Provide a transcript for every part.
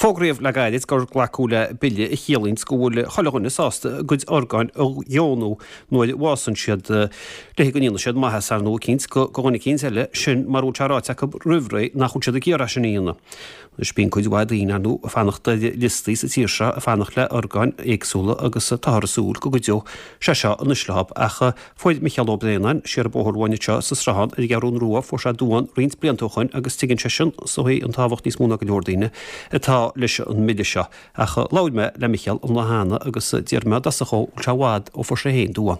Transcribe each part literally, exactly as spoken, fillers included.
Fógraíodh le gairid gur glacadh le bille a chiallaíonns go bhfuil chuile dhuine sásta a gcuid orgáin a dheonú nuair a bhásann siad le go ndéanfaidh siad maitheas ar ndóigh eicínt go dhuine eicínt eile, sin mura bhfuil sé ráite acu roimh ré nach bhfuil siad ag iarraidh sin a dhéanamh. Anois bíonn cuid mhaith daoine ar ndóigh ag fanacht ar liostaí sa tír seo ag fanacht le orgáin éagsúla agus táthar ag súil go gcuideodh sé seo anois leo ach fuair Micheál Ó Braonáin siar an bóthar uainn anseo sa Sruthán ar an gCeathrú Rua fuair sé duán roinnt blianta ó shoin agus tuigeann seisean is dóigh an tábhacht níos mó ná go leor daoine atá leis an mbille seo. Ach labhair mé le Micheál an lá cheana agus d'iarr mé i dtosach dhó bhfuil sé i bhfad ó fuair sé féin duán.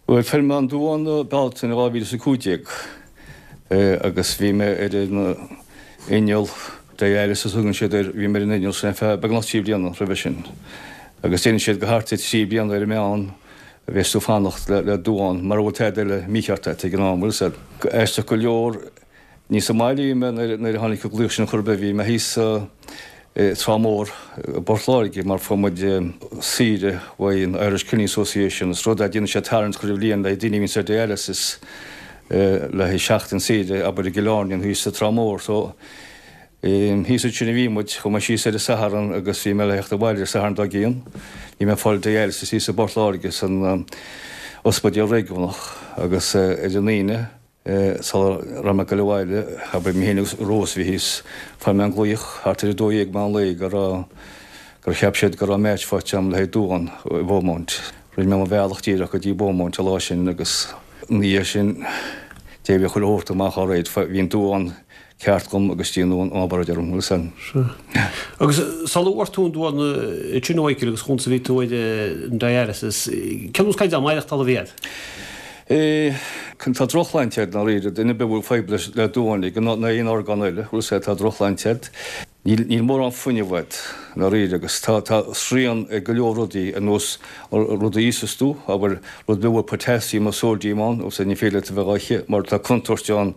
Bhuel, fuair mé an duán i Bealtaine dhá mhíle is a cúig déag agus bhí mé ar an inneall dialysis a thugann siad air, bhí mé ar an inneall sin ar feadh beagnach trí bliana roimhe sin. Agus déanann siad go thart ar trí bliana ar an meán a bheas tú ag fanacht le duán, mura bhfuil tada eile mícheart agat ag an am, bhfuil 'fhios a'd. Aisteach go leor, ní sa mbaile a bhí mé nuair a tháinig an glaoch sin chor ar bith, bhí mé thíos i Trá Mhór i bPort Láirge mar fuair muid saoire uaidh an Irish Kidney Association, is rud é, déanann siad tarraingt chuile bhliain le daoine a bhíonns ar dialysis le haghaidh seachtain saoire, abair i gCill Airne nó thíos sa Trá Mhór. So, Thíos ansin a bhí muid. Chuaigh mé síos ar an Satharn agus bhí mé le theacht abhaile ar an Satharn dár gcionn. Bhí mé ag fáil dialysis thíos i bPort Láirge san ospidéal réigiúnach agus ar an Aoine sula raibh mé ag goil abhaile, abair, mé féin agus Rose a bhí thíos, fuair mé an glaoch thart ar a dó dhéag meán lae go raibh, gur cheap siad go raibh match faighte agam le haghaidh duán i Beaumont. Rinne mé mo bhealach díreach go dtí Beaumont an lá sin agus ina dhiaidh sin d'éirigh chuile shórt amach alright, bhí an duán ceart agam agus déanadh an obráid orm, bhfuil 'fhios a'd. Sea. Agus sula bhfuair tú an duán ansin a Mhichíl agus chúns a bhí tú ar an dialysis, cén nós caighdeán maireachtála a bhí a'd? Eh, tá drochshláinte a'd ndáiríre, duine ar bith a bhfuil fadhb leis le duán ag nó aon orgán eile, bhfuil 'fhios a'd, tá drochshláinte a'd. Níl, níl mórán fuinnimh a'd ndáiríre agus tá, tá srian ag go leor rudaí ar nós rud a íosas tú, abair, rud ar bith a bhfuil potassium nó sodium ann, bhfuil 'fhios a'd, ní féidir leat a bheith á ithe mar tá contúirt ann,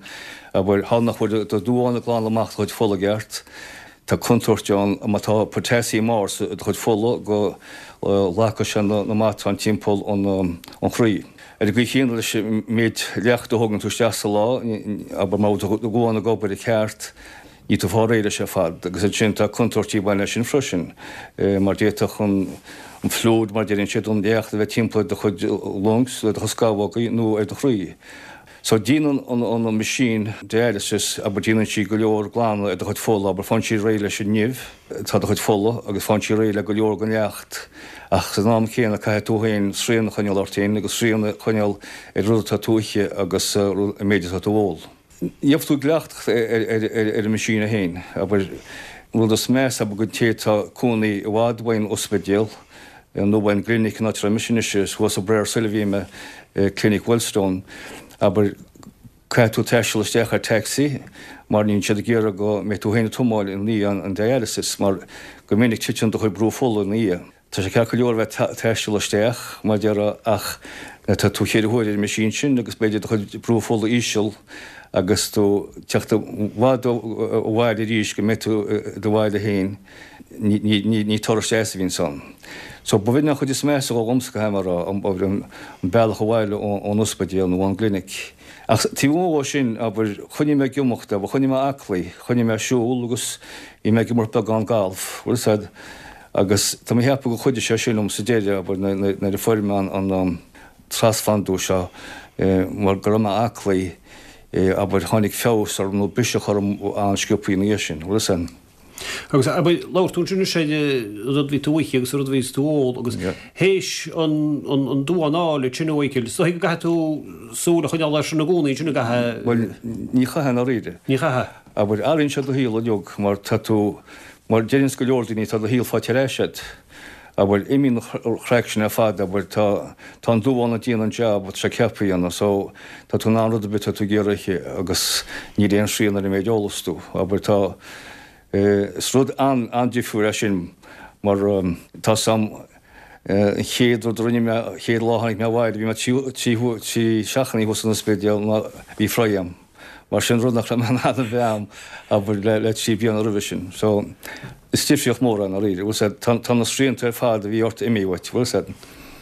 abair, thall nach bhfuil do duán ag glanadh amach do chuid fola i gceart, tá contúirt ann má tá potassium ard sa do chuid fola go nglacfaidh sé na matáin timpeall an an chroí. Ar an gcaoi chéanna leis an méid leachta a thógann tú isteach sa lá, abair, má bhfuil do dhuán ag obair i gceart, Níl tú fáil réidh leis ar fad agus ansin tá contúirtí ag baint leis sin freisin mar d'fhéadfadh an fluid mar a deireann siad, an leacht a bheith timpeall ar do chuid lungs, ar do chuid scamhógaí nó ar do chroí. So déanann an machine dialysis, abair déanann sí go leor glanadh ar do chuid fola, abair faigheann sí réidh leis an nimh atá i do chuid fola agus faigheann sí réidh le go leor den leacht ach san am céanna caithfidh tú féin srian a choinneáil ort féin agus srian a choinneáil ar rud atá tú a ithe agus an méid atá tú a ól. Gheobhaidh tú cleachtadh ar an machine féin. Abair, an rud is measa, abair, don té atá cónaí i bhfad uaidh an ospidéal nó uaidh an gclinic, an áit a raibh mise anois, is thuas i bPrayer Soil a bhí mé, Clinic Wellstone, abair, caithfidh tú taisteal isteach ar taxi mar níl siad ag iarraidh go mbeidh tú féin ag tiomáint i ndiaidh an dialysis mar go minic titeann do chuid brú fola ina dhiaidh. Tá sé ceart go leor a bheith ag taisteal isteach, mar a déarfá, ach nuair atá tú ceithre huaire ar an machine sin agus b'fhéidir do chuid brú fola íseal agus tú ag teacht i bhfad ó bhaile arís go mbeidh tú i do bhaile féin, ní turas deas a bhíonns ann. So ba bh'in an chuid is measa dhó dhomsa, caithfidh mé a rá, an bealach abhaile ón ospidéal nó ón gclinic. Ach taobh amuigh dhó sin, abair, choinnigh mé ag imeacht, abair, choinnigh mé aclaí, choinnigh mé ag siúl agus bhí mé ag imirt beagán galf, bhfuil 'fhios a'd. Agus tá mé a cheapadh gur chuidigh sé sin liom sa deireadh, abair, nuair a fuair mé an trasphlandú seo, mar go raibh mé aclaí, abair, tháinig feabhas orm nó biseach orm an-sciobthaí ina dhiaidh sin, bhfuil 'fhios a'd. Agus, abair, labhair tú ansin anois ar an rud a bhí tú a ithe agus an rud a bhí tú a ól agus théis an duán a fháil ansin a Mhichíl, is dóigh go gcaithfidh tú súil a choinneáil air sin i gcónaí ansin, an gcaithfidh? Bhuel, ní chaithfidh i ndáiríre. Ní chaithfidh. Abair, athraíonn sé do shaol uilig mar tá tú, Mar deireanns go leor daoine, tá do shaol faighte ar ais agat. Abair, imíonn an chraic sin ar fad, abair, tá, tá an duán ag déanamh an jab atá sé ceaptha a dhéanamh, so tá tú in ann rud ar bith atá tú ag iarraidh a ithe agus níl aon srian ar an méid a ólas tú. Abair, tá, is rud an-an-difriúil é sin mar tá 's a'm, an chéad rud a rinne mé, an chéad lá a tháinig mé abhaile, bhí mé trí, trí, trí seachtainí thuas san ospidéal ná bhí fry a'm. Mar sin rud nach raibh mé in ann a bheith a'm, abair, le trí bliana roimhe sin. So, is difríocht mór é i ndáiríre, bhfuil 's a'd, tá na srianta ar fad a bhí ort imithe uait, bhfuil 's a'd.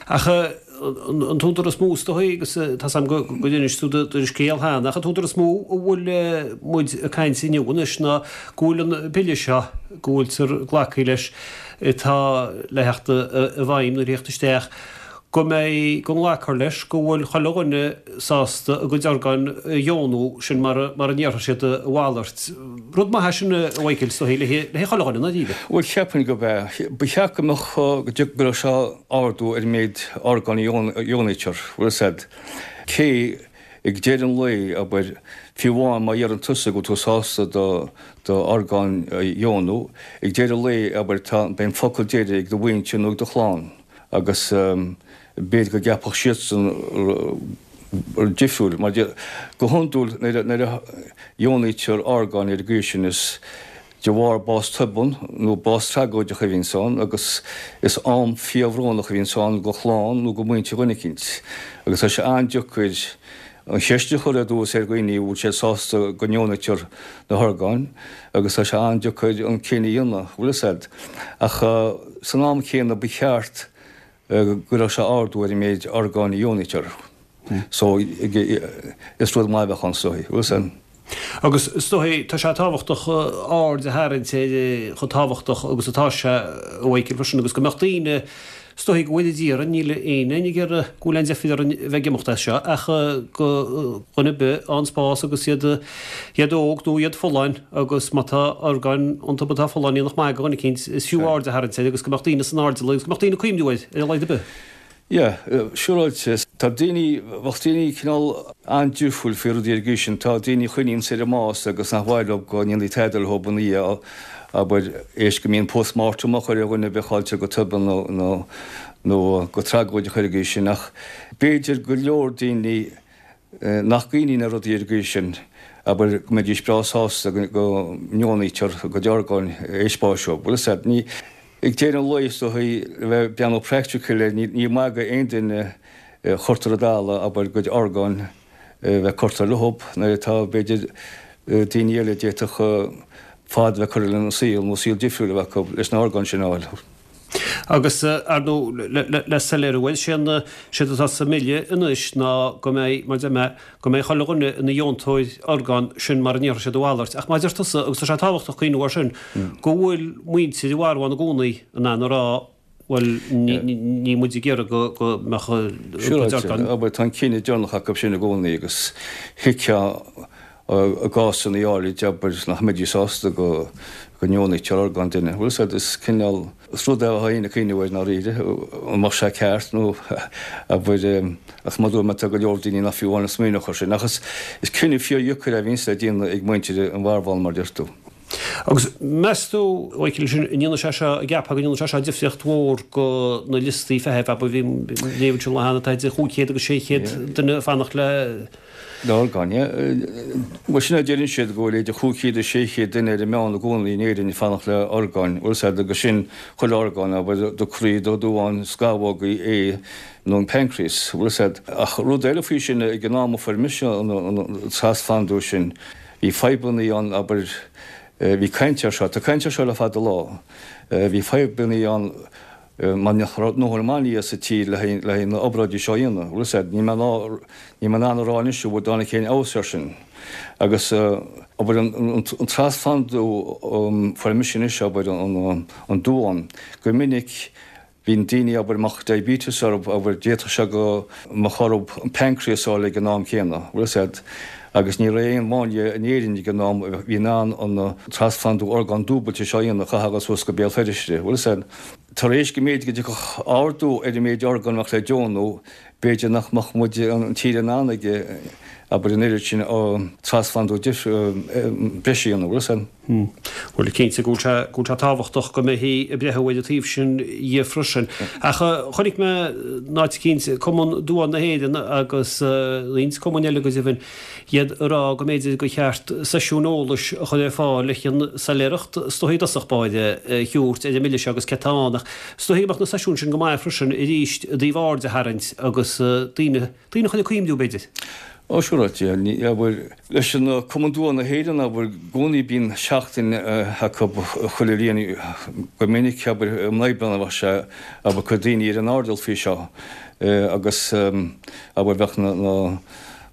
Ach an t-údar is mó is dóigh agus tá 's agam go go d'inis tú do scéal cheana ach an t-údar is mó a bhfuil muid ag caint inniu anois ná go bhfuil an bille seo go bhfuiltear glactha leis atá le theacht i bhfeidhm nó le theacht isteach go mbeidh, go nglacfar leis go bhfuil chuile dhuine sásta a gcuid orgán a dheonú, sin mar a, mar a ndéarfaidh siad a mhalairt. Rud maith é sin, a Mhichael, is dóigh, le haghaidh chuile dhuine, ndáiríre. Bhuel, cheapfainn gurb ea. Ba cheart go mbeadh, go gcuirfeadh sé ardú ar an méid orgán a dheonaítear, bhfuil 'fhios a'd. Cé, ag deireadh an lae, abair, fiú amháin má dheireann tusa go bhfuil tú sásta do d'orgán a dheonú, ag deireadh an lae, abair, tá, beidh an focal deiridh ag do mhuintir nó ag do chlann. Agus b'fhéidir go gceapfadh siadsan rud difriúil, mar go hiondúil nuair a dheonaítear orgáin ar an gcaoi sin is de bharr bás tobann nó bás tragóideach a bhíonns ann agus is am fíorbhrónach a bhíonns ann do chlann nó do mhuintir dhuine eicínt. Agus tá sé an-deacair an cheist a chur ar dtús ar dhaoine an bhfuil siad sásta go ndeonaítear na horgáin agus tá sé an-deacair an cinneadh a dhéanamh, bhfuil 'fhios a'd. Ach san am céanna ba cheart go gcuirfeadh sé ardú ar an méid orgáin a dheonaítear. So is rud maith a bheadh ann is dóigh, bhfuil 'fhios a'd. Agus is dóigh, tá sé tábhachtach aird a tharraingt ar chomh tábhachtach agus atá sé, a Mhichael, freisin, agus go mbeadh daoine, is dóigh go bhfuil ag iarraidh, níl éinne ag iarraidh go bhfuil aon deifir orainn a bheith ag imeacht as seo, ach go dhuine ar bith an spás agus iad iad óg nó iad folláin agus má tá orgáin iontu atá folláin nach maith do dhuine eicínt, is fiú aird a tharraingt air agus go mbeadh daoine san airdeall agus go mbeadh daoine ag cuimhniú air ar a laghad ar bith. Yeah, siúráilte. Tá daoine, bheadh daoine cineál an-difriúil faoi rudaí ar an gcaoi sin. Tá daoine a chuimhníonns ar an mbás agus nach mhaith leo go ndéanfaí tada leo ina dhiaidh, abair, éis go mbíonn post-mortem á chur ar dhuine a bheith caillte go tobann nó, nó, nó go tragóideach ar an gcaoi sin. Ach b'fhéidir go leor daoine nach gcuimhníonn ar rudaí ar an gcaoi sin, abair, go mbeidís breá sásta go ndeonaítear a gcuid orgáin éis báis dóibh. Bhfuil 'fhios a'd, ní. Ag deireadh an lae, is dóigh, le bheith ag breathnú practical air, ní maith go aon duine a chuirtear i dtalamh, abair, a gcuid orgáin a bheith curtha leo nuair atá, b'fhéidir, daoine eile a d'fhéadfadh fad a bheith curtha lena saol nó saol difriúil a bheith acu leis na horgáin sin a fháil. Agus, ar ndóigh, le soiléiriú, bhuel, séard atá sa mbille anois ná go mbeidh, mar a deir mé, go mbeidh chuile dhuine ina dheontóir orgán, sin mara ndéarfaidh siad a mhalairt. Ach mar a deir tusa, agus tá sé tábhachtach cuimhniú air sin, go bhfuil muintir an mharbháin i gcónaí in ann a rá, bhuel, níl muid ag iarraidh go mbeadh a gcuid orgán. Abair, tá an cinneadh deireanach acu sin i gcónaí agus thuigfeá i gcásanna áirid, abair, nach mbeidís sásta go ndeonaítear orgán duine. Bhfuil 'fhios a'd, is cineál, is rud é atá éinne ag cuimhniú air ndáiríre, an mbeadh sé ceart nó, abair, ach mar a dúirt mé, tá go leor daoine nach fiú amháin ag smaoineamh air sin. Ach is, is cinneadh fíordheacair é a bhíonns le déanamh ag muintir an mharbháin, mar a deir tú. Agus meas tú, a Mhichíl, sin, an ndéanfaidh sé seo, an gceapfá go ndéanfaidh sé seo difríocht mhór go na liostaí feithimh, abair, bhí, léamh ansin lá cheana, tá idir chúig chéad agus sé chéad duine ag fanacht le, Le horgáin, yeah. Bhuel, sin é a deireann siad, go bhfuil idir chúig chéad is sé chéad duine ar an meán i gcónaí in Éirinn ag fanacht le orgáin. Bhfuil 'fhios a'd, agus sin chuile orgán, abair, do chroí, do dhuán, scamhógaí, ae nó an pancreas. Bhfuil 'fhios a'd. Ach rud eile faoi sin, ag an am a fuair mise an trasphlandú sin, bhí fadhbannaí ann, abair, bhí caint air seo, tá caint air seo le fada lá, bhí fadhbannaí ann, mar nach raibh a ndóthain máinlia sa tír le haghaidh na obráidí seo a dhéanamh. Bhfuil 'fhios a'd, níl mé níl mé in ann a rá anois an bhfuil dtáinig aon fheabhas air sin. Agus abair an trasphlandú fuair mise anois abair an duán, go minic bíonn daoine abair a mbeadh diabetes orthu abair d'fhéadfadh sé go mbeadh orthu an pancreas a fháil ag an am céanna. Bhfuil 'fhios a'd. Agus ní raibh aon mháinlia in Éirinn ag an am a bhí in ann an trasphlandú orgán dúbailte seo a dhéanamh, chaithfeá a dhul suas go Béal Feirste. Bhfuil 'fhios a'd. Tar éis go mb'fhéidir go dtiocfadh ardú ar an méid orgán a bheadh le deonú, b'fhéidir nach mbeadh muid, an tír in ann ag, abair, an oiread sin trasphlandú breise a dhéanamh, bhfuil 'fhios a'd. Bhuel, cinnte go bhfuil sé, go bhfuil sé tábhachtach go mbeifí ag breathnú ar an taobh sin dhe freisin. Ach chonaic mé in áit eicínt Cumann Duán na hÉireann agus roinnt cumainn eile go deimhin, iad ag rá go mb'fhéidir gur cheart seisiúin eolais a chur ar fáil le chun soiléireacht is dóichí i dtosach báire a thabhairt ar an mbille seo agus céard atá ann ach is dóichí go mbeadh na seisiúin sin go maith freisin arís i dtaobh aird a tharraingt agus daoine daoine a chur ag cuimhniú b'fhéidir. Ó siúráilte, abair, leis an Cumann Duán na hÉireann, abair, i gcónaí bíonn seachtain acu chuile bhliain, go minic, abair, i mí Aibreán a bheadh sé, abair, cuir daoine ar an airdeall faoi seo agus, abair, bheadh na, na,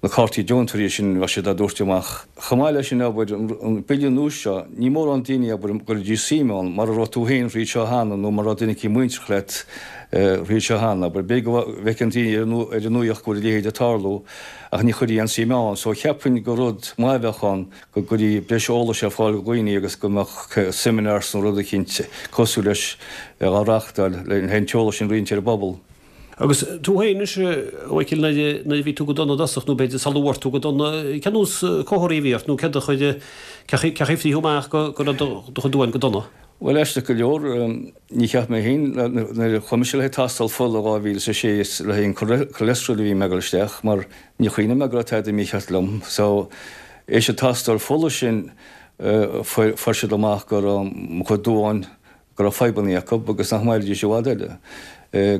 na cártaí deontóirí sin, bheadh siad á dtabhairt amach. Chomh maith leis sin, abair, an bille nua seo, ní mórán daoine, abair, go gcuirfidís suim ann, mara raibh tú féin thríd seo cheana nó mara raibh duine eicínt muinteartha leat thríd seo cheana, abair, b'fhéidir go bhfeiceann daoine ar an nuaíocht go bhfuil a leithéid ag tarlú ach ní chuirfí aon suim ann. So cheapfainn gur rud maith a bheadh ann go gcuirfí breis eolais ar fáil do dhaoine agus go mbeadh seminars nó rud eicínt cosúil leis á reáchtáil le an t-eolas sin a roinnt ar an bpobal. Agus tú féin anois, a Mhichíl, nuair a bhí tú go dona i dtosach, nó b'fhéidir sula bhfuair tú go dona, cén nós comharthaí a bhí ort nó céard a chuir, cé chaoi a frítheadh amach go raibh do chuid duáin go dona? Bhuel, aisteach go leor, ní cheap mé féin, nuair a chuaigh mise le haghaidh tástáil fola dhá mhíle is a sé is le haghaidh an cholesterol a bhí mé ag dul isteach mar ní chuimhneamh mé go raibh tada mícheart liom. So, éis an tástáil fola sin fuair siad amach go raibh mo chuid duáin, go raibh fadhbanna acu agus nach mairfidís i bhfad eile,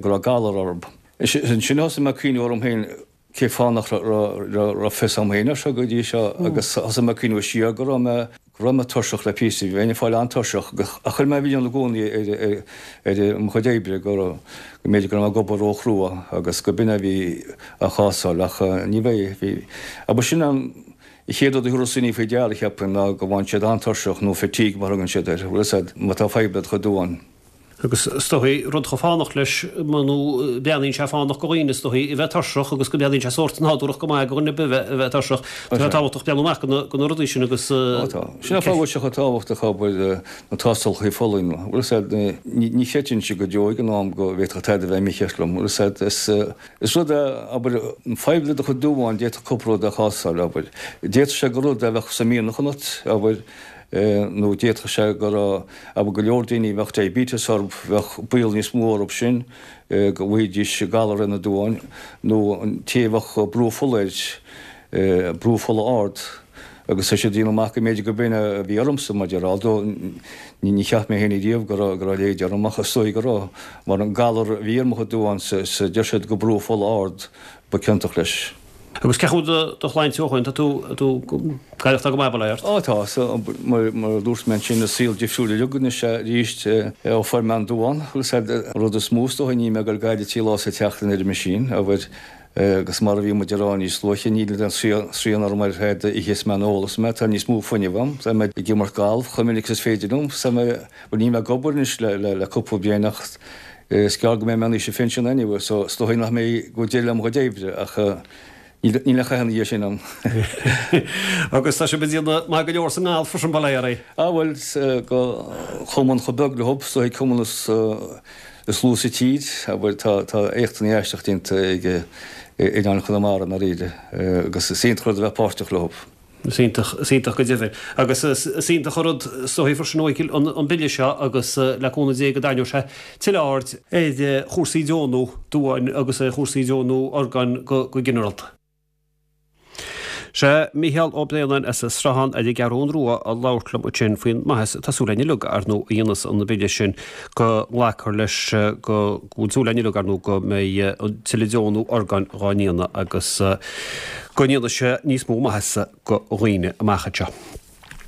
go raibh galar orthu. Ansin thosaigh mé ag cuimhneamh orm féin, cén fáth nach raibh fios agam féin air seo go dtí seo agus thosaigh mé ag cuimhneamh siar go raibh mé go raibh mé tuirseach le píosa, bheinn ag fáil an-tuirseach ach chuir mé an milleán i gcónaí ar ar mo chuid oibre go raibh go mb'fhéidir go raibh mé ag obair róchrua agus go b'in a bhí á chásáil ach ní bheidh, bhí, abair sin an chéad rud a thabharfas daoine faoi deara cheapfainn ná go bhfaigheann siad an-tuirseach nó fatigue mar a thugann siad air, bhfuil a fhios agat, má tá fadhb le do chuid duán. Agus is dóichí, rud chomh fánach leis, nó breathnaíonn sé fánach go dhaoine, is dóichí, a bheith tuirseach agus go mbreathnaíonn sé sórt nádúrach go maith go dhuine ar bith a bheith tuirseach. Tá sé tábhachtach breathnú amach go na rudaí sin agus. Ó tá. Sin an fáth go bhfuil sé chomh tábhachtach abair na tástálacha fola. Bhfuil a fhios agat, ní chreidfinnse go deo ag an am go bhféadfadh tada a bheith mícheart liom. Bhfuil a fhios agat, is is rud é, abair, fadhb le do chuid duáin, d'fhéadfadh cúpla rud a chásáil, abair. D'fhéadfadh sé gur rud é a bheadh sa mhianach ionat, abair. nó d'fhéadfadh sé go raibh, abair, go leor daoine a bheadh diabetes orthu, bheadh baol níos mó orthu sin go bhfaighidís galar ar na duáin, nó an té a bheadh brú fola air, brú fola ard, agus tá siad ag déanamh amach go mb'fhéidir go b'in a bhí ormsa, mar a déarfá, although ní cheap mé féin ariamh go raibh, go raibh a leithéid orm, ach is dóigh go raibh, mar an galar a bhí ar mo chuid duán, is deir siad go brú fola ard ba ciontach leis. Agus cén chaoi a bhfuil do shláinte ó shoin? Tá tú tú ag aireachtáil go maith, bail ó Dhia ort? Ó tá, so, mar mar a dúirt mé ansin, is saol difriúil uilig anois é arís ó fuair mé an duán. Bhfuil a fhios agat, an rud is mó is dóigh, níl mé ag dul ag gaire trí lá sa tseachtain ar an machine, abair, agus mar a bhí muid ag rá níos luaithe, níl aon srian orm ar céard a itheas mé nó a ólas mé, tá níos mó fuinnimh agam, tá mé ag imirt galf chomh minic is is féidir liom, tá mé, bhuel níl mé ag obair anois le le le cúpla bliain ach Is gearr go mbeidh mé in aois an phinsin anyway so is dóigh nach mbeidh go bhfuil deireadh le mo chuid oibre ach níl aon chath ina dhiaidh sin ann. Agus tá sibh ag déanamh maith go leor sa ngalf freisin, bail ó Dhia oraibh. Ah bhuel, go chumann chomh beag leo, is dóigh cumann is is lú sa tír, abair tá tá éachtanna aisteach déanta ag Oileán Chonamara i ndáiríre agus is iontach rud a bheith páirteach leo. Is iontach, is iontach go deimhin. Agus is iontach an rud is dóichí freisin, a Mhichíl, an Bille seo agus le cúnamh Dé go dtarraingeoidh sé tuilleadh aird ar chúrsaí deonú duáin agus ar chúrsaí deonú orgán go ginearálta. Sé Mícheál Ó Braonáin as an Sruthán ar an gCeathrún Rua a labhairt liom ansin faoin maitheas atá súil againn uilig, ar ndóigh, a dhéanfas an Bille sin go nglacfar leis go bhfuil súil againn uilig, ar ndóigh, go mbeidh tuilleadh deonú orgáin dhá ndéanamh agus go ndéanfaidh sé níos mó maitheasa go dhaoine amach anseo.